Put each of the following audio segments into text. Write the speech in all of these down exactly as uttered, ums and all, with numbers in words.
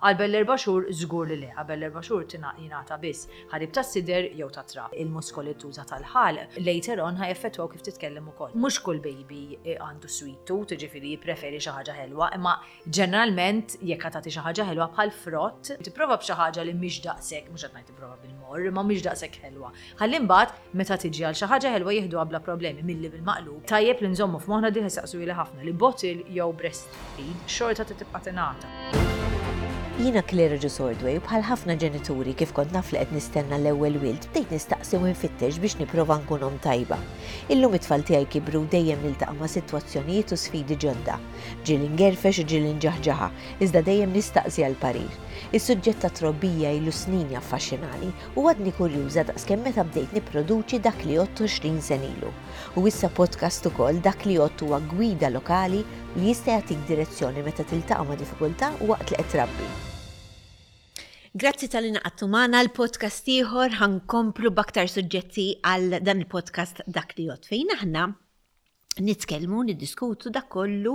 Qabel l-erba' xhur żgur li le, qabel l-erba' xhur jingħata biss ħalib tas-sider jew ta' trab. Il-muskoli tuża tal-ħalq later on ħa jaffettwaw kif titkellem ukoll. Mhux kull baby għandu sweet tooth, ġifieri jippreferi xi ħaġa ħelwa, imma ġeneralment jekk tagħti xi ħaġa ħelwa bħal frott, tipprova b'xi ħaġa li mhix daqshekk, mhux qed ngħid tipprova bil-morr, imma mhix daqshekk ħelwa. Ħalli mbagħad meta tiġi għal xi ħaġa ħelwa jieħduha bla problemi milli bil-maqlub. Tajjeb li nżommu f'moħħna diħ saqsu li ħafna li bottle jew breastfeed xorta tibqa' tingħata. Jiena Claire Ġusordway, bħal ħafna ġenituri, kif kont naf li qed nistenna l-ewwel wild, bdejt nistaqsi u nfittex biex nipprova nkun omm tajba. Illum it-tfal tiegħi kibru, dejjem niltaqa' ma' sitwazzjonijiet u sfidi ġodda. Ġieli ngerfex u ġieli nġaħġaħa, iżda dejjem nistaqsi għal parir. Is-suġġett ta' trobbija ilu snin jaffaxxinani u għadni kurjuża daqskemm meta bdejt nipproduċi Dak li Jgħodd għoxrin sena ilu. U issa podcast ukoll. Dak li Jgħodd huwa gwida lokali li jista' jagħtik direzzjoni meta tiltaqa' ma' diffikultà waqt li qed trabbi. Grazzi talli ngħaqadtu magħna l-podcast ieħor. Ħa nkomplu b'aktar suġġetti għal dan il-podcast Dak li Jgħodd, fejn aħna nitkellmu, niddiskutu dak kollu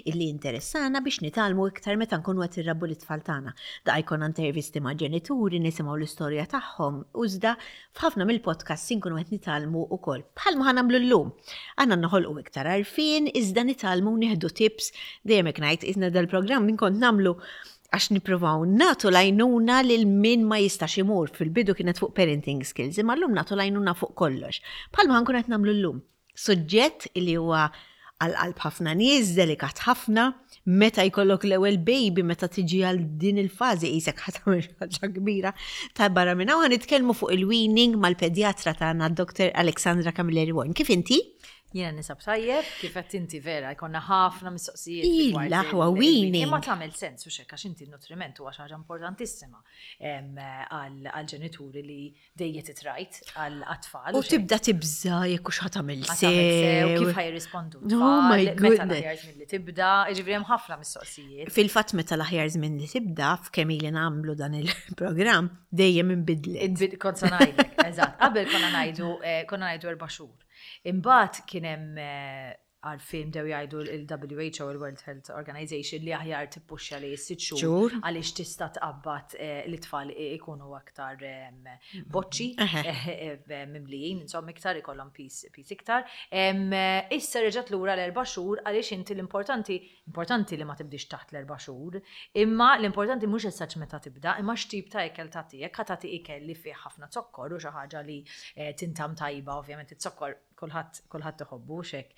illi interessana biex nitgħallmu iktar meta nkunu qed irrabbu l-itfal tagħna. Da jkun intervisti ma' ġenituri, nisimgħu l-istorja tagħhom, u iżda f'ħafna mill-podcasts inkunu qed nitgħallmu wkoll. Bħalma ħa nagħmlu llum. Għandna noħolqu iktar għarfien, iżda nitgħallmu, nieħdu tips, dejjem hekk ngħid, iżna dal-programm min kont nagħmlu għax nippruvaw nagħtu l-għajnuna lil min ma jistax imur. Fil-bidu kienet fuq parenting skills, imma llum nagħtu l-għajnuna fuq kollox. Bħalma ħa nkun qed nagħmlu llum. Suġġett li huwa għal-qalb ħafna nies, delikat ħafna, meta jkollok l-ewwel baby, meta tiġi għal din il-fażi qisek ħa tagħmel ħaġa kbira ta' barra minn hawn. Nitkellmu fuq il-weaning mal-pedjatra tagħna, Doctor Alexandra Camilleri Warren. Kif inti? Jiena ninsab tajjeb, kif qed inti vera, jkollna ħafna mistoqsijiet. Il-aħwa weaning. Imma tagħmel sens u xek, għax inti n-nutriment huwa xi ħaġa importantissima għal-ġenituri li dejjem titrajt għal-atfal. U tibda tibża jekk hux ħa tagħmel sew. Kif ħa jirrispondu? Oh my Meta goodness. l-aħjar żmien li tibda, jiġifieri hemm ħafna mistoqsijiet. Fil-fatt, meta l-aħjar żmien li tibda, f'kemm ili nagħmlu dan il-programm, dejjem inbidlet. Inbid- Kont sa ngħidlek, eżatt. Qabel konna ngħidu eh, konna ngħidu erba' xhur. Imbagħad kien hemm eh, għarfien, bdew jgħidu il-W H O, il-World Health Organization, li aħjar tippuxxa li sitt xhur Xhur. għaliex tista' tqabbad eh, l-itfal ikunu aktar em, boċċi, Eħe. eh, eh, mimlijin, insomma iktar ikollhom piż piż iktar. Em, eh, Issa reġgħet lura l-erba' xhur għaliex inti l-importanti importanti li ma tibdix taħt l-erba' xhur, imma l-importanti mhux issa meta tibda, imma x'tip ta' ikel tagħti. Jekk ħa tagħti ikel li fih ħafna zokkor u xi ħaġa li eh, tintam tajba, ovvjament iz-zokkor kulħadd kulħadd iħobbu xek.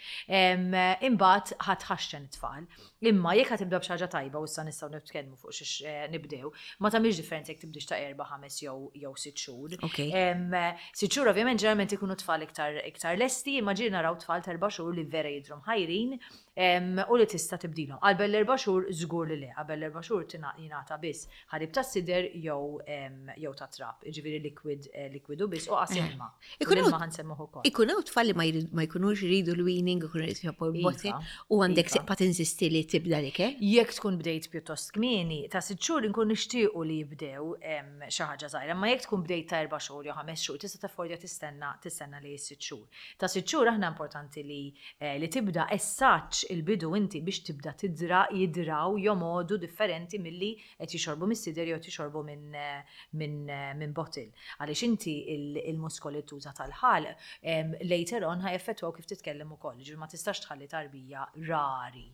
Imbagħad ħa tħaxxen it-tfal. Imma jekk ħa tibda b'xi ħaġa tajba, u issa nistgħu nitkellmu fuq xiex eh, nibdew, ma tagħmilx differenza jekk tibdix ta' erba', ħames jew jew sitt xhur. Ok. Em, Sitt xhur ovvjament ġeneralment ikunu tfal iktar iktar lesti, imma ġieli naraw tfal ta' erba' xhur li vera jidhru mħajrin em, u li tista' tibdilhom. Qabel l-erba' xhur żgur li le, qabel l-erba' xhur tina- jingħata biss ħalib tas-sider jew em, jew ta' trab, jiġifieri liquid eh, likwidu biss u qas ilma. U Ikun l-ilma ħa nsemmuh ukoll. Ikun hawn tfal li ma jrid- ma jkunux jridu l-weaning, ikunu jridu jħobbu l-bottle, Iva, u għandek iva. tibqa' tinsisti li tibda l-ikel. Jekk tkun bdejt pjuttost kmieni, ta' sitt xhur inkun nixtiequ li jibdew em, xi ħaġa żgħira, ma jekk tkun bdejt ta' erba' xhur jew ħames xhur, tista' taffordja tistenna tistenna li sitt xhur. Ta' sitt xhur aħna importanti li eh, li tibda essaċ il-bidu inti biex tibda tidra jidraw jomodu differenti milli qed jixorbu mis-sider jew jixorbu minn eh, minn eh, minn bottle. Għaliex inti il- il-muskoli tuża tal-ħalq em, later on ħa jaffettwaw kif titkellem ukoll. Ġifieri ma tistax tħalli tarbija, rari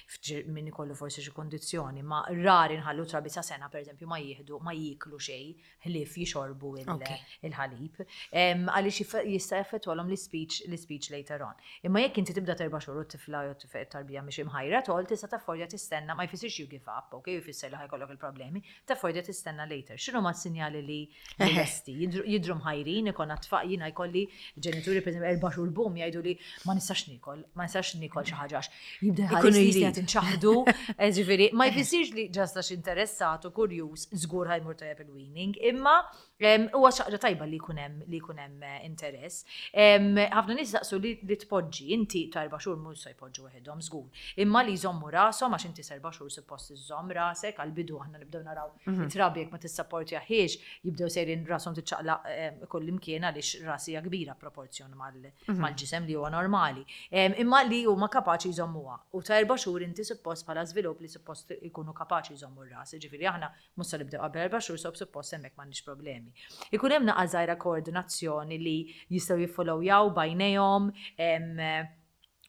fġir- min ikollu forsi xi kondizzjoni, ma rari nħallu trabi sa sena, pereżempju, ma jieħdu, ma jieklu xejn ħlief jixorbu il- Ok. il-ħalib. Em, Għaliex jif- jista' jaffettwalhom l-speech l-speech later on. Imma jekk inti tibda terba' xhur u t-tifla jew tifel tarbija mhix imħajra tol, tista' taffordja tistenna, ma jfissirx you give up, ok, jfisser li ħa jkollok il-problemi, taffordja tistenna later. X'inhu ma sinjali li li lesti? Jidru jidru mħajrin, ikonna tfal, jiena jkolli ġenituri, per erba' xhur, bum, jgħidu li ma nistax nikol, ma nistax nikol xi ħaġa għax jibda Ikunu ħares li jridu. qed inċaħdu, eh, ġifieri, ma jfissirx li just għax interessat u kurjuż żgur ħa jmur tajjeb il-weaning, imma em, huwa xi ħaġa tajba li jkun hemm li jkun hemm eh, interess. Em, Ħafna nies jaqsu li li tpoġġi, inti ta' erba' xhur mhux se jpoġġu waħedhom żgur. Imma li jżommu rashom, għax inti s'erba' xhur suppost iżżomm rasek, għal-bidu aħna nibdew naraw it-trabi jekk ma tissapportjahiex jibdew sejrin rashom tiċċaqlaq em, kull imkien għaliex rasi hija kbira proporzjon mal- mal-ġisem li huwa normali. Em, Imma li huma kapaċi jżommuha. U ta' erba' Erba' xhur inti suppost bħala żvilupp li suppost ikunu kapaċi jżommu r-ras. Ġifieri aħna mhux se nibdew qabel erba' xhur, so suppost hemmhekk m'għandniex problemi. Ikun hemm naqa żgħira koordinazzjoni li jistgħu jiffollowjaw b'għajnejhom, em,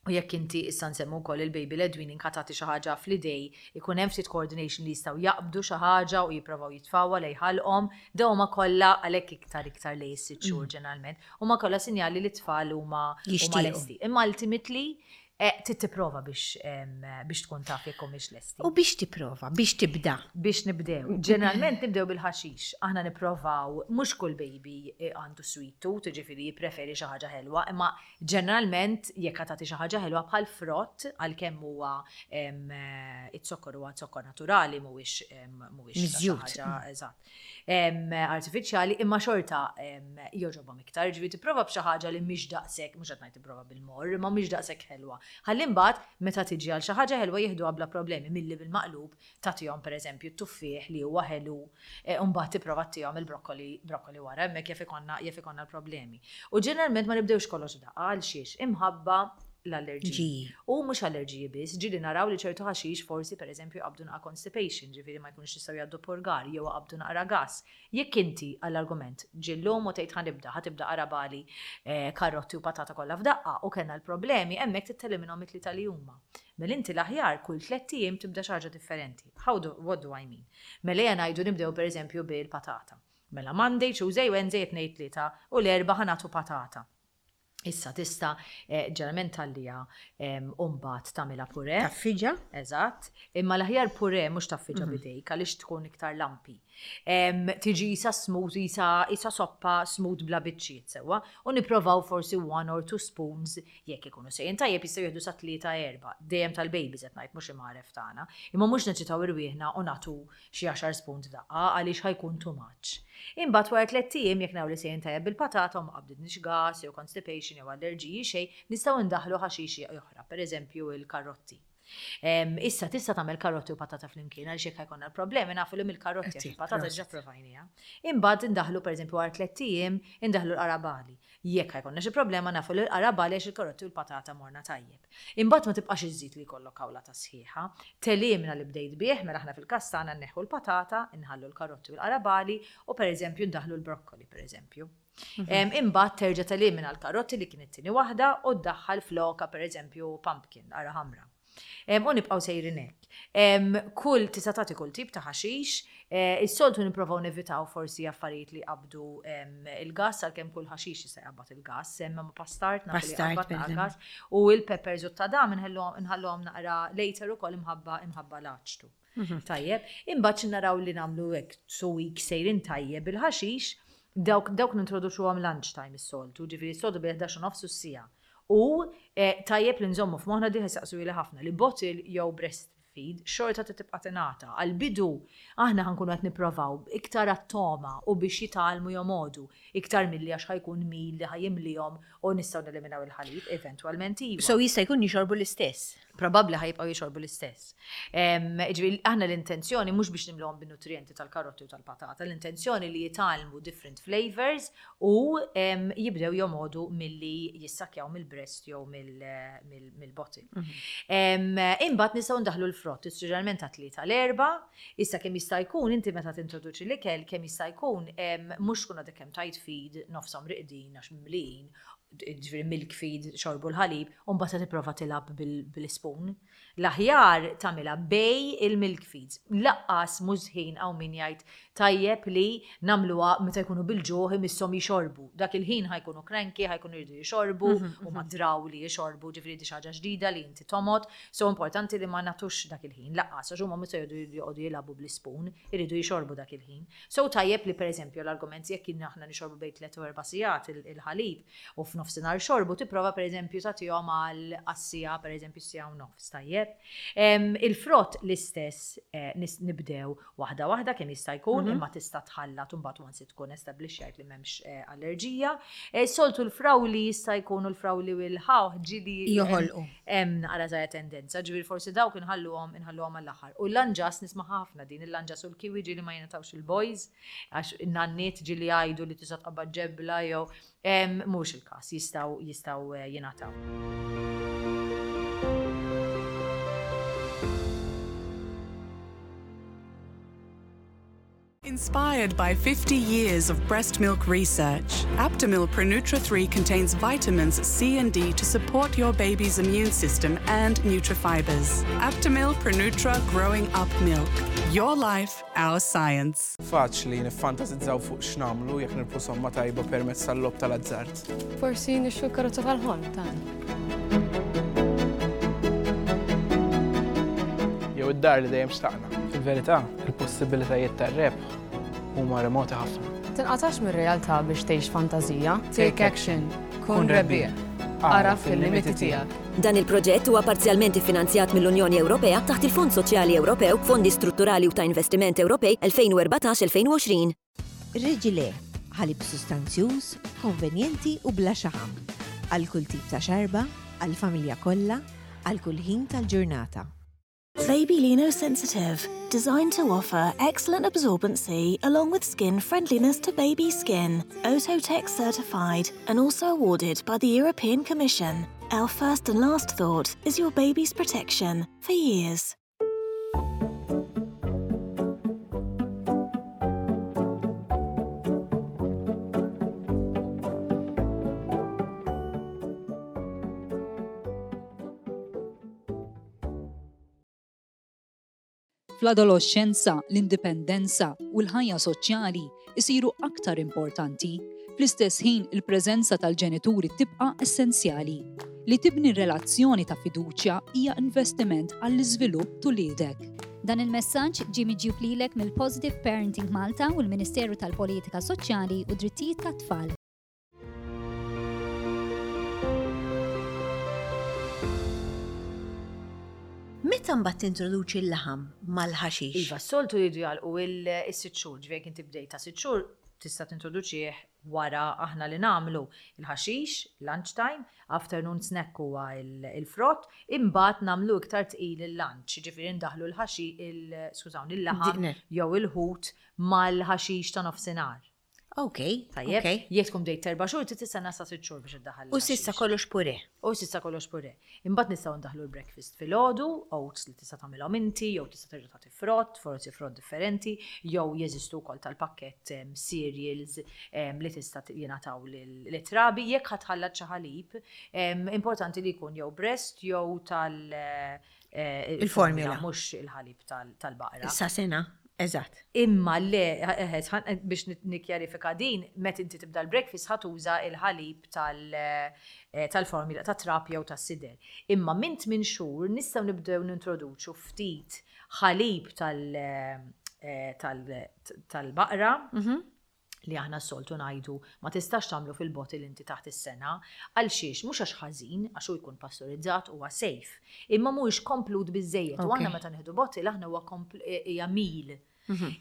u jekk inti issa nsemmu wkoll il-baby led weaning, tagħti xi ħaġa fl-idej, ikun hemm ftit coordination li jistgħu jaqbdu xi ħaġa u jipprovaw jitfgħuha lejn ħalqhom, dawn huma kollha għalhekk iktar iktar lejn is-sitt xhur ġeneralment. Huma kollha sinjali li t-tfal huma huma Jixtiequ. lesti. Imma ultimately eh, trid tipprova biex em, biex tkun taf jekk humiex lesti. U biex tipprova, biex tibda. Biex nibdew. Ġeneralment nibdew bil-ħaxix. Aħna nipprovaw, mhux kull baby eh, għandu sweet tooth, ġifieri jippreferi xi ħaġa ħelwa, imma ġeneralment jekk tagħti xi ħaġa ħelwa bħal frott, għalkemm huwa em, eh, it-zokkor huwa zokkor naturali, mhuwiex em, mhuwiex ta' xi Miżjud. ħaġa eżatt. Em, artifiċjali, imma xorta em, jogħġobhom iktar, ġifieri tipprova b'xi ħaġa li mhix daqshekk, mhux qed ngħid tipprova bil-morr, imma mhix daqshekk ħelwa. Ħalli mbagħad meta tiġi għal xi ħaġa ħelwa jieħduha bla problemi, milli bil-maqlub tagħtihom pereżempju t-tuffieħ li huwa ħelu e, u mbagħad tipprova ttihom il-brokkoli brokkoli wara, hemmhekk jaf ikollna jaf ikollna l-problemi. U ġeneralment ma nibdewx kollox daqqa għal xiex imħabba l-allerġiji. Ġiji. U mhux allerġiji biss, ġieli naraw li ċertu ħaxix forsi pereżempju qabdu naqa constipation, ġifieri ma jkunux jistgħu jgħaddu purgar jew qabdu naqra gas. Jekk inti għall-argument ġillum u tgħid ħa nibda, ħa tibda qarabagħli, eh, karotti u patata kollha f'daqqa u kellna l-problemi, hemmhekk titteliminhom it-tlieta li huma. Mela inti l-aħjar kull tliet ijiem tibda xi ħaġa differenti. How do, what do I mean? Mela ejja ngħidu nibdew pereżempju bil-patata. Mela Monday, Tuesday, Wednesday, tnejn, tlieta u l-Erbgħa ħa nagħtu patata. Issa tista' eh, ġeneralment tgħalliha u mbagħad tagħmilha puree. Tgħaffiġha? Eżatt. Imma l-aħjar puree mhux tgħaffiġha b'idejk għaliex tkun iktar lumpy. Em, Tiġi isa smooth, isa, isa soppa smooth bla biċċiet sewwa. U nipprovaw forsi one or two spoons jekk ikunu sejrin tajjeb, jistgħu jieħdu sa tlieta, erba'. Dejjem tal-babies qed ngħid, mhux imgħaref tagħna. Imma mhux neċitaw irwieħna u nagħtu xi għaxar spoons f'daqqa għaliex ħa jkun too much. Imbagħad wara tliet ijiem, jekk naraw li sejrin tajjeb bil-patata u ma qabditniex gas jew constipation jew allerġiji xejn, nistgħu ndaħlu ħaxix oħra, pereżempju il-karotti. Em, Issa tista' tagħmel karotti u patata flimkien għaliex jekk ħa jkollna l-problemi nafu li mill-karotti għax Etti, il-patata prosit. ġa provajnija. Imbagħad indaħlu pereżempju wara tliet ijiem indaħlu l-qarabagħli. Jekk ħa jkollna xi problema nafu li l-qarabagħli għax il-karotti u l-patata morna tajjeb. Imbagħad ma tibqax iżżid li jkollok kawlata sħiħa. Telimna li bdejt bih, mela aħna fil-każ tagħna nneħħu l-patata, inħallu l-karotti u l-qarabagħli u pereżempju ndaħlu l-brokkoli pereżempju. Em, Imbagħad terġa' telimina l-karotti li kienet tieni waħda u ddaħħal floka pereżempju pumpkin, qara ħamra. Em, U nibqgħu sejrin hekk. Em, Kull tista' tagħti kull tip ta' ħaxix, eh, is-soltu nipprovaw nevitaw forsi affarijiet li qabdu em, il-gas, għalkemm kull ħaxix jista' jqabbad il-gas, imma pastard nafu li Pastard, jqabbad per naqra eżempju. gas, u il-peppers u t-tadam nħalluhom naqra later ukoll imħabba imħabba l-aċtu. Tajjeb, imbagħad naraw li nagħmlu hekk two weeks sejrin tajjeb il-ħaxix, dawk dawk nintroduċuhom lunchtime is-soltu, ġifieri s-soltu bejn ħdax u nofs u siegħa. U eh, tajjeb li nżommu f'moħħna di saqsu li ħafna li bottle jew breastfeed xorta tibqa' tingħata. Għal-bidu aħna ħa nkunu qed nipprovaw iktar għat-togħma u biex jitgħallmu jomogħdu iktar milli għax ħa jkun meal li ħa jimlihom u nistgħu neliminaw il-ħalib eventwalment iva. So jista' jkun jixorbu l-istess. Probabbli ħa jibqgħu jixorbu l-istess. Em, Ġifieri aħna l-intenzjoni mhux biex nimluhom bin-nutrienti tal-karotti u tal-patata, l-intenzjoni li jitgħallmu different flavors u em, jibdew jomogħdu milli jissakjaw mill-breast jew mill- mill- mill-bottle. Em, Imbagħad nistgħu ndaħlu l-frott, ġeneralment ta' tlieta l-Erbgħa, issa kemm jista' jkun inti meta tintroduċi l-ikel kemm jista' jkun em, mhux tkun għadek kemm tajt feed nofshom riqdin għax mimlijin, ġifieri milk feed, xorbu l-ħalib, u mbagħad tipprova tilgħab bil- bil-spoon. L-aħjar tagħmilha bejn il-milk feeds. Lanqas mhux ħin hawn min jgħid tajjeb li nagħmluha meta jkunu bil-ġuħ imisshom jixorbu. Dak il-ħin ħa jkunu cranky, ħa jkunu jridu jixorbu, u ma draw li jixorbu, ġifieri di xi ħaġa ġdida li inti tomgħod. So importanti li ma nagħtux dak il-ħin. Lanqas, għax huma mhux se jgħodu jgħodu jilagħbu bl-spoon, iridu jixorbu dak il-ħin. So tajjeb li pereżempju l-argument jekk kien aħna nixorbu bejn tliet u erba' sigħat il- il-ħalib u f'nofsinhar xorbu, tipprova pereżempju tagħtihom għal għas-siegħa, pereżempju siegħa u nofs, tajjeb. Em, Il-frott l-istess, eh, nis- nibdew waħda waħda kemm jista' jkun, imma tista' tħallat u mbagħad once tkun establixxjajt li m'hemmx eh, allerġija. Eh, Soltu l-frawli jista' jkunu l-frawli u l-ħawħ ġieli Joħolqu. hemm naqra żgħira tendenza, ġifieri forsi dawk inħalluhom inħalluhom għall-aħħar. U l-lanġas nisma' ħafna din il-lanġas u l-kiwi ġieli ma jingħatawx il-boys, għax in-nanniet ġieli jgħidu li tista' tqabbad ġebla jew em, mhux il-każ, jistgħu jistgħu eh, jingħataw. Inspired by fifty years of breast milk research, Aptamil Pronutra three contains vitamins C and D to support your baby's immune system and nutrifibers. Aptamil Pronutra Growing Up Milk. Your life, our science. Faċli niffantasizzaw fuq x'nagħmlu jekk nirbħu somma tajba permezz tal-logħob tal-azzard. Forsi nixtru karozza tal-ħolm tagħna. Jew id-dar li dejjem xtaqna. Fil-verità, il-possibilitajiet tar-rebħ huma remoti ħafna. Tinqatax mir-realtà biex tgħix fantażija. Take action. Kun rebbieħ. Agħraf il-limiti tiegħek. Dan il-proġett huwa parzjalment iffinanzjat mill-Unjoni Ewropea taħt il-Fond Soċjali Ewropew, Fondi Strutturali u ta' Investiment Ewropej elfejn u erbatax-elfejn u għoxrin. Reġile, ħalib sustanzjuż, konvenjenti u bla xaħam. Għal kull tip ta' xarba, għal familja kollha, għal kull ħin tal-ġurnata. Baby Lino Sensitive, designed to offer excellent absorbency along with skin friendliness to baby skin. Oeko-Tex certified and also awarded by the European Commission. Our first and last thought is your baby's protection for years. Fl-adolescenza, l-indipendenza u l-ħajja soċjali isiru aktar importanti. Fl-istess ħin, il-preżenza tal-ġenituri tibqa' essenzjali. Li tibni relazzjoni ta' fiduċja hija investiment għall-iżvilupp t'uliedek. Dan il-messaġġ ġie miġjub lilek mill-Positive Parenting Malta u l-Ministeru tal-Politika Soċjali u Drittijiet tat-Tfal. Meta mbagħad tintroduċi l-laħam mal-ħaxix? Iva, s-soltu jridu jagħlqu il-sitt xhur, ġifieri jekk inti bdejt ta' sitt xhur tista' tintroduċih wara. Aħna li nagħmlu il-ħaxix, lunchtime, afternoon snack huwa il-frott, imbagħad nagħmlu iktar tqil il-lunch, ġifieri ndaħlu l-ħaxi, il-skużawni, il-laħam jew il-ħut mal-ħaxix ta' nofsinhar. Ok, Tajjeb, ok. Jekk tkun bdejt erba' xhur, trid tistenna sa sitt xhur biex iddaħħal. U s'issa kollox pure. U s'issa kollox pure. Imbagħad nistgħu ndaħlu l-breakfast filgħodu, oats li tista' tagħmilhom inti, jew tista' terġa' tagħti frott, forsi frott differenti, jew jeżistu wkoll tal-pakkett em, cereals em, li tista' jingħataw lit-trabi. Jekk ħa tħallat xi ħalib, em, importanti li jkun jew breast jew tal eh, Il-formula. Mhux il-ħalib tal-baqra. Sa sena, eżatt. Imma le, eh, eh, biex nikkjarifika din, met inti tibda l-breakfast ħa tuża il-ħalib tal- tal-formula ta' trab jew tas-sider. Imma minn tmien xhur nistgħu nibdew nintroduċu ftit ħalib tal- tal- tal-baqra li aħna s-soltu ngħidu ma tistax tagħmlu fil-bottle inti taħt is-sena, għal xiex? Mhux għax ħażin, għax hu jkun pastorizzat, huwa safe, imma mhuwiex komplut biżejjed. U aħna meta nieħdu bottle aħna huwa hija meal.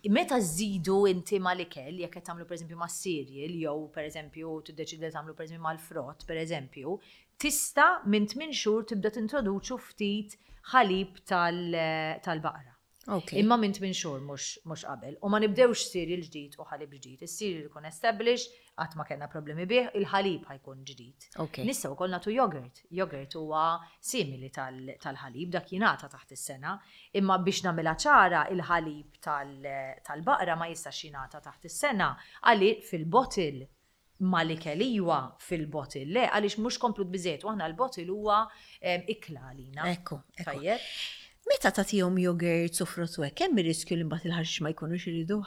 Meta żidu inti mal-ikel, jekk qed tagħmlu pereżempju ma' cereal jew pereżempju tiddeċidi tagħmlu pereżempju mal-frott, pereżempju, tista' minn tmien xhur tibda tintroduċu ftit ħalib tal-baqra. Ok. Imma minn tmien xhur, mhux mhux qabel. U ma nibdewx cereal ġdid u ħalib ġdid. Is-cereal ikun established, qatt ma kellna problemi bih, il-ħalib ħa jkun ġdid. Ok. Nistgħu wkoll nagħtu yogurt. Yogurt huwa simili tal-ħalib, dak jingħata taħt is-sena, imma biex nagħmilha ċara, il-ħalib tal-baqra ma jistax jingħata taħt is-sena għalli fil-bottle mal-ikel iwa, fil-bottle le, għaliex mhux komplut biżejjed u aħna l-bottle huwa ikla għalina. Ekku, ekku. Tajjeb. Meta tagħtihom yogurt u frott u hekk, hemm ir-riskju li mbagħad il-ħaxix ma jkunux iriduh?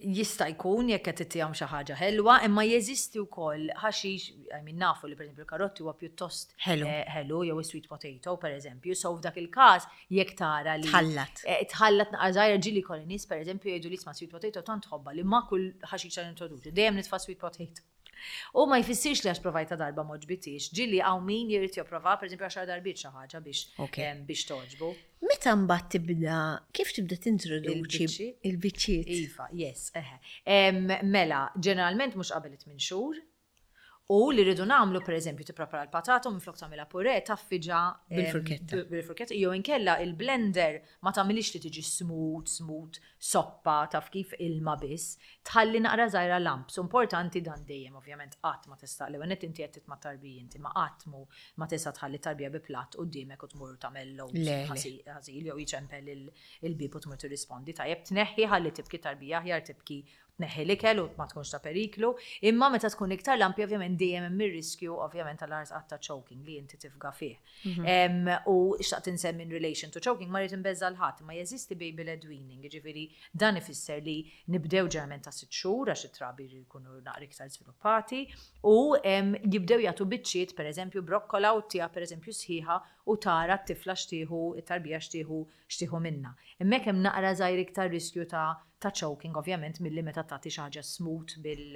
Jista' jkun jekk qed ittihom xi ħaġa ħelwa, imma jeżisti wkoll ħaxix, I mean, nafu li pereżempju l-karotti huwa pjuttost Ħelu. eh, ħelu jew sweet potato pereżempju, so f'dak il-każ jekk tara li Tħallat. Eh, Tħallat naqra żgħira. Ġieli kolli nies pereżempju jgħidu li isma', sweet potato tant tħobbha li ma' kull ħaxixa nintroduċi, dejjem nitfa' sweet potato. U ma jfissirx li għax provajta darba m'għoġbitix, ġieli hawn min jrid jipprova pereżempju għaxar darbiet xi ħaġa biex Ok. em, biex togħġbu. Meta mbagħad tibda, kif tibda tintroduċi Il-biċċiet? il-biċċiet? Iva, yes, eħe. Em, Mela, ġeneralment mhux qabel it-tmien xhur U li rridu nagħmlu, per eżempju, tipprepara l-patata u minflok tagħmilha puree, tgħaffiġha em, Bil-furketta. b- Bil-furketta, jew inkella il-blender ma tagħmilix li tiġi smooth, smooth, soppa, taf kif, ilma biss, tħalli naqra żgħira lumps. Importanti dan dejjem, ovvjament, qatt ma tista' l net inti qed titma' tarbija inti ma qatt mu ma tista' tħalli tarbija bi platt quddiemek u tmur tagħmel loads Le, le. ħasil ħasil jew jiċempel il- il-bib u tmur tirrispondi. Tajjeb tneħħi, ħalli tibki tarbija, aħjar tibki, tneħħi l-ikel u ma tkunx ta' periklu. Imma meta tkun iktar lumpy, ovvjament dejjem hemm ir-riskju ovvjament tal-ars ta' choking li inti tifga fih. Em, U xtaqt insemmi in relation to choking, ma rrid inbeżża' 'l ħadd, ma jeżisti baby led weaning, jiġifieri dan ifisser li nibdew ġeneralment ta' sitt xhur għax it-trabi jkunu naqra iktar sviluppati u em, jibdew jagħtu biċċiet, pereżempju brokkola, u tija pereżempju sħiħa u tara t-tifla x'tieħu, it-tarbija x'tieħu x'tieħu minna. Hemmhekk hemm naqra żgħir iktar riskju ta' ta' choking ovvjament milli meta tagħti xi ħaġa smooth bil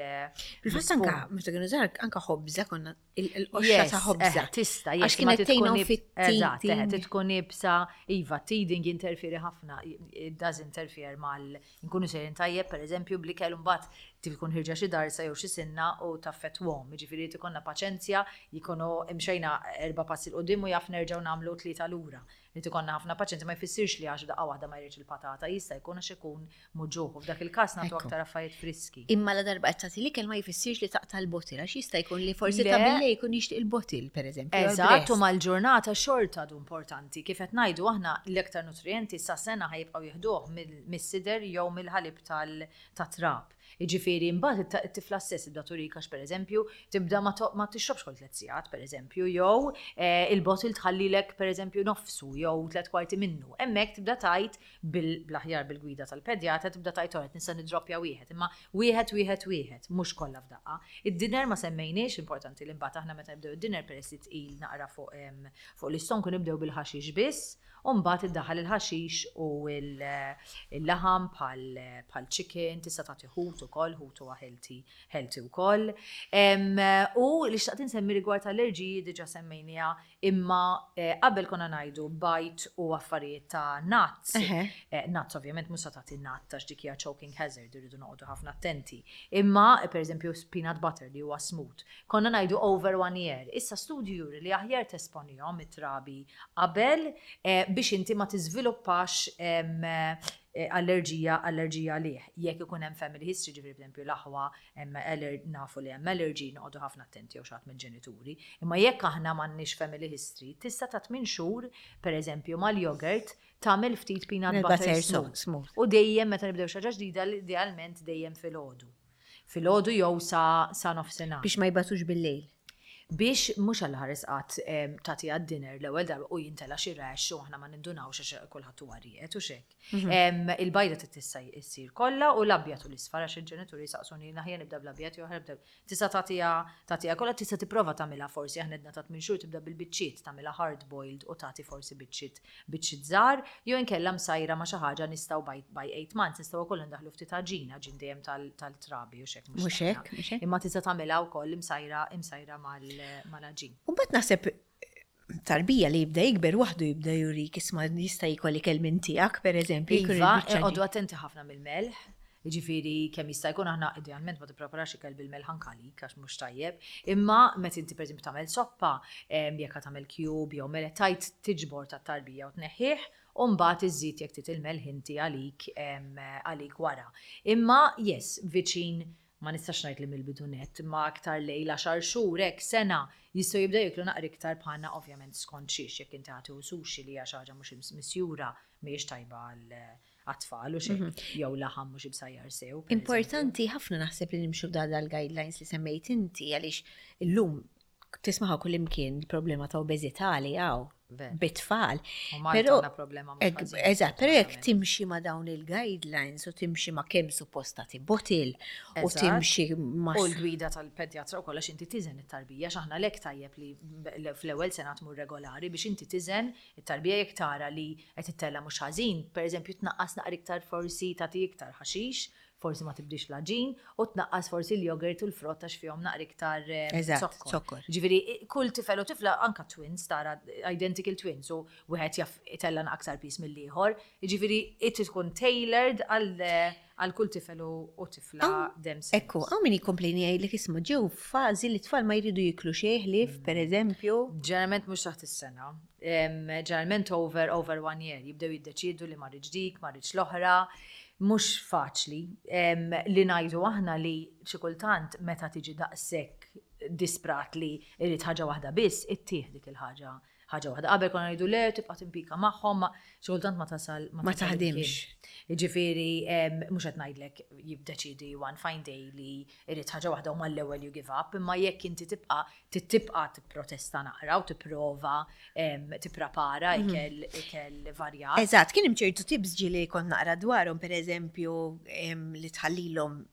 Bil-fatt anka, meta kienu żgħar, anka ħobża konna il-qoxra ta' ħobża. Eh, tista, Għax yes, ma kienet tgħinhom tkun Eżatt, eh, fit-teething. tkun iebsa, iva, teething jinterferi ħafna, it does interfere mal nkunu sejrin tajjeb, per eżempju, bl-ikel mbagħad tkun ħirġa xi darsa jew xi sinna u taffettwahom, jiġifieri ikollna paċenzja, jkunu imxejna erba' passi 'l quddiem u jaf nerġgħu nagħmlu tlieta lura. Li ikollna ħafna paċenzja ma jfissirx li għax daqqa waħda ma jridx il-patata, jista' jkun għax ikun muġugħ u f'dak il-każ nagħtu Ekku. aktar affarijiet friski. Imma la darba qed tagħti l-ikel ma jfissirx li taqta' l-bottle, għax jista' jkun li forsi Le. ta' billejl jkun jixtieq il-bottle, pereżempju, jew Eżatt, u il-breast. mal-ġurnata xorta għadu importanti. Kif qed ngħidu aħna, l-iktar nutrienti sa sena ħa jibqgħu jieħduh mill- mis-sider jew mill-ħalib tal-trab. Jiġifieri mbagħad it- it-tifla stess tibda turik għax pereżempju tibda ma to- ma tixrobx kull tliet sigħat pereżempju, jew eh, il-bottle tħallilek pereżempju nofsu jew tliet kwarti minnu. Hemmhekk tibda tajt bil-aħjar bil-gwida tal-pedjatra, tibda tajt oret nista' nidroppja wieħed, imma wieħed wieħed wieħed, mhux kollha f'daqqa. Id-dinner ma semmejniex, importanti li mbagħad aħna meta nibdew id-dinner, peress li tqil naqra fuq em, fuq l-istonku, nibdew bil-ħaxix biss, u mbagħad iddaħħal il-ħaxix u il- il-laħam bħal bħal chicken, tista' tagħti ħut ukoll, ħut huwa healthy healthy ukoll. Em, U li xtaqt insemmi rigward allerġiji diġà semmejniha, imma eh, qabel konna ngħidu bajd u affarijiet ta' nuts. Eħe. Eh, Nuts ovvjament mhux se tagħti nut għax dik hija choking hazard, irridu noqogħdu ħafna attenti. Imma eh, pereżempju peanut butter li huwa smooth. Konna ngħidu over one year. Issa studju juri li aħjar tesponihom it-trabi qabel eh, biex inti ma tiżviluppax em, eh, allerġija allerġija lih. Jekk ikun hemm family history, ġifieri pereżempju l-aħwa hemm aller- nafu li hemm allergy, noqogħdu ħafna attenti, jew xi ħadd mill-ġenituri. Imma jekk aħna m'għandniex family history, tista' ta' tmien xhur pereżempju mal-yogurt tagħmel ftit peanut Peanut butter butter smooth. smooth. U dejjem meta nibdew xi ħaġa ġdida, idealment dejjem filgħodu. Filgħodu jew sa sa nofsinhar. Biex ma jbatux bil-lejl. Biex mhux għal ħares qatt em, tagħti għad-dinner l-ewwel darba u jintela xi rash u aħna ma nindunawx għax kulħadd huwa rieqed u xek. Em, Il-bajda trid tista' issir kollha u l-abjad u l-isfar, għax il-ġenituri saqsuni aħjar nibda bl-abjad jew aħjar nibda. Tista' tagħtiha tagħtiha kollha, tista' tipprova tagħmilha, forsi aħna għedna ta' tmien xhur tibda bil-biċċiet, tagħmilha hard boiled u tagħti forsi biċċiet biċċiet żgħar jew inkella msajra ma' xi ħaġa. Nistgħu by, by eight months nistgħu wkoll ndaħlu ftit għaġina, għaġin dejjem tal- tal-trabi u xek. Mhux hekk, mhux hekk. Imma tista' tagħmilha wkoll imsajra imsajra mal mal-għaġin. U mbagħad naħseb tarbija li jibda jikber waħdu jibda jurik isma' jista' jkoll ikel minn tiegħek, pereżempju. Jkun Iva, il-biċċa ġi. oqogħdu attenti ħafna mill-melħ. Jiġifieri kemm jista' jkun aħna idealment ma tippreparax ikel bil-melħ anke għax mhux tajjeb. Imma meta inti pereżempju tagħmel soppa, em, jekk tagħmel cube jew melħ tajt tiġbor tat-tarbija u tneħħih, u mbagħad iżżid jekk trid il-melħ inti għalik em, għalik wara. Imma yes, viċin ma nistax ngħid li mill-bidu net, ma aktar lejn għaxar xhur hekk, sena, jistgħu jibdew jiklu naqra iktar bħalna, ovvjament skont xiex, jekk inti ħati sushi li hija xi ħaġa mhux misjura mhijiex tajba għal għat-tfal u xejn, jew laħam mhux imsajjar sew, per Importanti ħafna naħseb li nimxu da dal-guidelines li semmejt inti, għaliex illum tismaħa kull imkien il-problema ta' obeżità li hawn Ver. bit-tfal. U Malta Però- għandna problema mhux Ek- ħażin, Eżatt, però jekk verament. timxi ma' dawn il-guidelines u timxi ma' kemm suppost tagħti bottle u Eżatt. timxi ma' U l-gwida tal-pedjatra u kollox, inti tiżen it-tarbija, x'aħna lek tajjeb li b- fl-ewwel sena tmur regolari biex inti tiżen it-tarbija. Jekk tara li qed ittella mhux ħażin, pereżempju tnaqqas naqra iktar, forsi tagħti iktar ħaxix. Forsi ma tibdix l-għaġin u tnaqqas forsi l-jogurt u l-frott għax fihom naqra iktar eh, Eżatt, zokkor. zokkor. Ġifieri, kull tifel u tifla anka twins, tara identical twins, u wieħed jaf itella' aktar piż mill-ieħor. Ġifieri, it tkun tailored għal għal kull tifel u u tifla themselves. Ekku, hawn min jikkomplejni jgħidlek isma' ġew fażi li tfal ma jridu jiklu xejn ħlief, per eżempju. Ġeneralment mhux taħt is-sena. Em, Ġeneralment over over one year jibdew jiddeċidu li ma rridx dik, ma rridx l-oħra. Mhux faċli Em, li ngħidu aħna li xi kultant meta tiġi daqshekk disprat li irid ħaġa waħda biss, ittih dik il-ħaġa ħaġa waħda. Qabel konna ngħidu le tibqa' timpika magħhom, ma xi kultant ma tasal Ma tasal taħdimx. imkien. Jiġifieri em, mhux qed ngħidlek jibdeċidi one fine day li irid ħaġa waħda u mal-ewwel you give up, imma jekk inti tibqa' tibqa' tipprotesta naqra u tipprova em, tipprepara ikel ikel varjat. Eżatt, kien hemm ċertu tips ġieli kont naqra dwarhom, per eżempju, em, li tħallilhom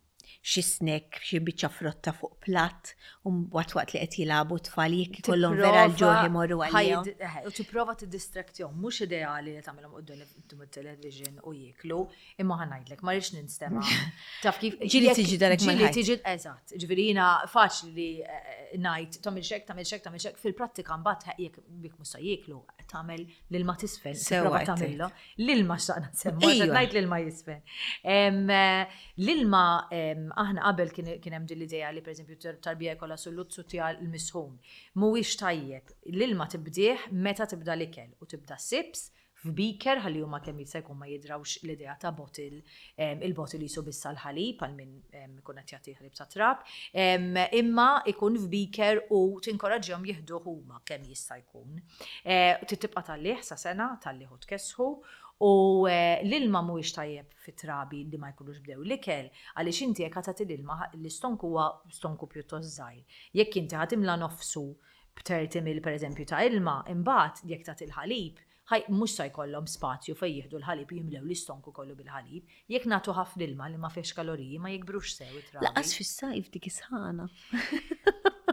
xi snack, xi biċċa frotta fuq platt, u mbagħad waqt li qed jilagħbu tfal jekk ikollhom vera l-ġuħ imorru għalihom. Ħajd- eħe, U tipprova tiddistraktjahom, mhux ideali li tagħmilhom quddiem it-television u jieklu, imma ħa ngħidlek, ma rridx ninstema'. Taf kif Ġieli jekk- tiġi darek ġieli mal-ħajt. tiġi eżatt. Ġifieri jiena faċli li eh, ngħid tagħmel xek, tagħmel xek, tagħmel xek, fil-prattika mbagħad jekk jekk mhux se jieklu, tagħmel l-ilma tisfen, Sewwa tipprova qed tagħmilha. L-ilma xtaqna nsemmu, Ejwa. għax ngħid l-ilma jisfen. Em, eh, L-ilma em, aħna qabel kien kien hemm din l-idea li pereżempju tar- tarbija jkollha sulluzzu tiegħu l-misħun. Mhuwiex tajjeb. L-ilma tibdih meta tibda l-ikel u tibda sips f'beaker ħalli huma kemm jista' jkun ma jidrawx l-idea ta' bottle, em, il-bottle jisu bissa l-ħalib għal min em, ikun qed jagħti ħalib ta' trab, em, imma ikun f'beaker u tinkoraġġihom jieħdu huma kemm jista' jkun. Eh, Trid tibqa' tgħallih sa sena, tgħallih u tkessħu u eh, l-ilma mhuwiex tajjeb fit-trabi li ma jkunux bdew l-ikel, għaliex inti jekk tagħti l-ilma l-istonku huwa stonku pjuttost żgħir. Jekk inti ħa timla nofsu b'thirty mil pereżempju ta' ilma, imbagħad jekk tagħti l-ħalib, ħaj mhux se jkollhom spazju fejn jieħdu l-ħalib jimlew l-istonku kollu bil-ħalib. Jekk nagħtu ħafna ilma li ma fihx kaloriji ma jikbrux sew it-trabi. Lanqas fis-sajf dik is-sħana.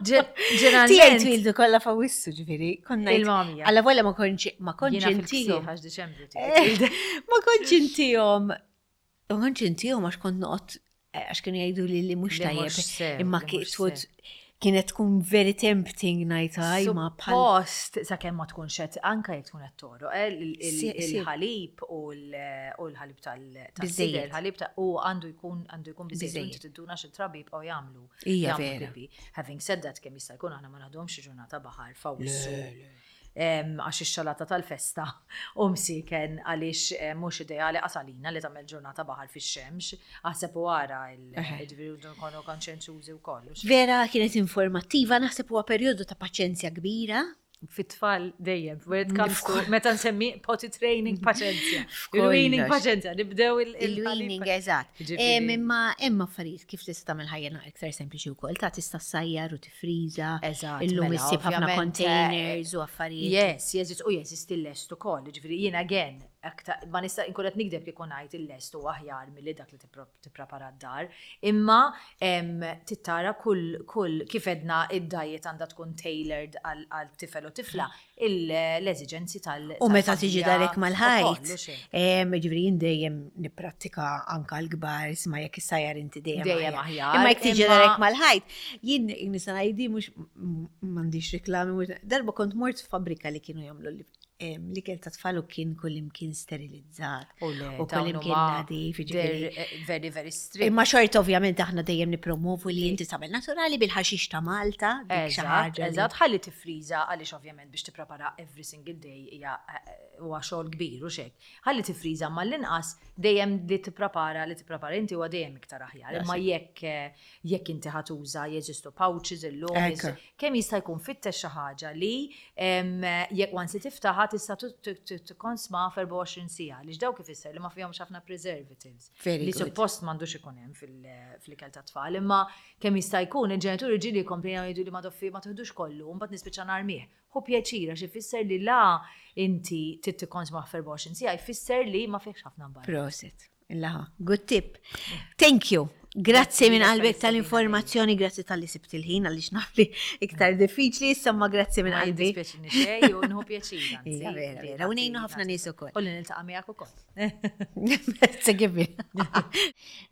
Ġen- Tiegħi Ġeneralment twildu kollha f'Awwissu ġifieri, konna Il-mamja. Alla volja ma kontx ma kontx jiena intihom. fil-ksieħ għax Diċembru tiegħi. Ma kontx intihom. Ma kontx intihom għax kont noqgħod għax kienu jgħidu li li mhux Li tajjeb. mhux sew, Imma li mhux kienet sew. kienet tkun very tempting ngħid ħaj ma bħal. Suppost, sakemm ma tkunx qed anka jekk tkun qed togħroq, eh, il- il- Si- si. il-ħalib u l- u l-ħalib tal- tas-sider, Biżżejjed. il-ħalib ta' u għandu jkun għandu jkun biżejjed. Biżejjed. Inti tidduna xi trabi jibqgħu jagħmlu. Hija jagħmlu vera. pipi. Having said that, kemm jista' jkun aħna ma naħduhomx xi ġurnata baħar f'Awwissu. Em, Għax ix-xalata tal-festa u msiken għaliex eh, mhux ideali qasalina li tagħmel ġurnata baħar fix-xemx, aħseb u ara il-ġifieri nkunu konxjenzużi wkoll. Vera kienet informattiva, naħseb huwa perjodu ta' paċenzja kbira. Fit-tfal dejjem, when it comes to, meta nsemmi potty training paċenzja. Il-weaning F'kollox. paċenzja, nibdew il- Il-weaning, eżatt. Ġifieri. Em, Imma hemm affarijiet kif tista' tagħmel ħajja naqra iktar sempliċi wkoll, ta' tista' ssajjar u tifriża. Eżatt, Illum mela, issib ħafna ovvjament, containers u affarijiet. Yes, jeżist, u jeżist il-lest ukoll, ġifieri jiena again, aktar, ma nista' nkun qed nikdeb kieku ngħid il-lest u aħjar milli dak li tippro- tipprepara d-dar, imma em, tittara kull kull kif edna id-diet għandha tkun tailored għal għal tifel u tifla, il- l-eżiġenzi tal U meta tiġi tal-familja darek mal-ħajt. ukoll, u xejn. Em, Ġifieri jien dejjem nipprattika anka l-kbar, isma' jekk issajjar inti dejjem Dejjem aħjar, Imma jekk tiġi imma- darek mal-ħajt, jien nista' ngħidi mhux m'għandix reklami, mhux- darba kont mort f'fabbrika li kienu jagħmlu li- em, l-ikel ta' tfal u kien kullimkien sterilizzat. U le, U dawn kullimkien huma nadif, ġifieri. they're, eh, very, very strict. Imma xorta ovvjament aħna dejjem nipromovu li inti tagħmel naturali bil-ħaxix ta' Malta, dik xi Eżatt, ħaġa li- eżatt, ħalli tifriża għaliex ovvjament biex tipprepara every single day hija eh, huwa xogħol kbir u xek. Ħalli tifriża ma l-inqas dejjem li tipprepara li tipprepara inti huwa dejjem iktar aħjar. Imma jekk eh, jekk inti ħa tuża jeżistu pouches illum, Ekku. jeżistu- kemm jista' jkun fittex xi ħaġa li em, jekk once li tiftaħha tista' tikkonsma f'erbgħa u għoxrin siegħa għaliex dawk ifisser li ma fihomx ħafna preservatives. Very Li good. suppost m'għandux ikun hemm fil- fl-ikel ta' tfal, imma kemm jista' jkun il-ġenituri ġieli jkomplejnaw jgħidu li ma doffi ma teħdux kollu, u mbagħad nispiċċa narmih. Hu pjaċira xi jfisser li la inti trid tikkonsma f'erbgħa u għoxrin siegħa jfisser li ma fihx ħafna mbarra. Prosit. Illaħa. Good tip. Thank you. Grazzi minn qalbek tal-informazzjoni, grazzi talli sibt il-ħin, għaliex naf li iktar diffiċli, insomma, grazzi minn Ma qalbi. jiddispjaċini xejn u nieħu pjaċir, anzi. Ija, vera, vera. U ngħinu ħafna nies ukoll. U li niltaqa' miegħek ukoll. Segibbi.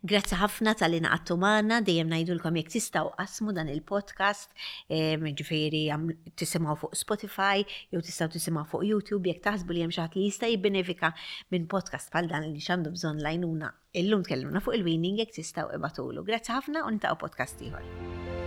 Grazzi ħafna talli ngħaqadtu magħna, dejjem ngħidulkom jekk tistgħu qasmu dan il-podcast, em, ġifieri għam- tisimgħu fuq Spotify, jew tistgħu tisimgħu fuq YouTube, jekk taħsbu li hemm xi ħadd li jista' jibbenefika minn podcast bħal dan li għandu bżonn l-għajnuna. Illum tkellimna fuq il-weaning, jekk tistgħu ibagħtulu. Grazzi ħafna u niltaqgħu podcast ieħor.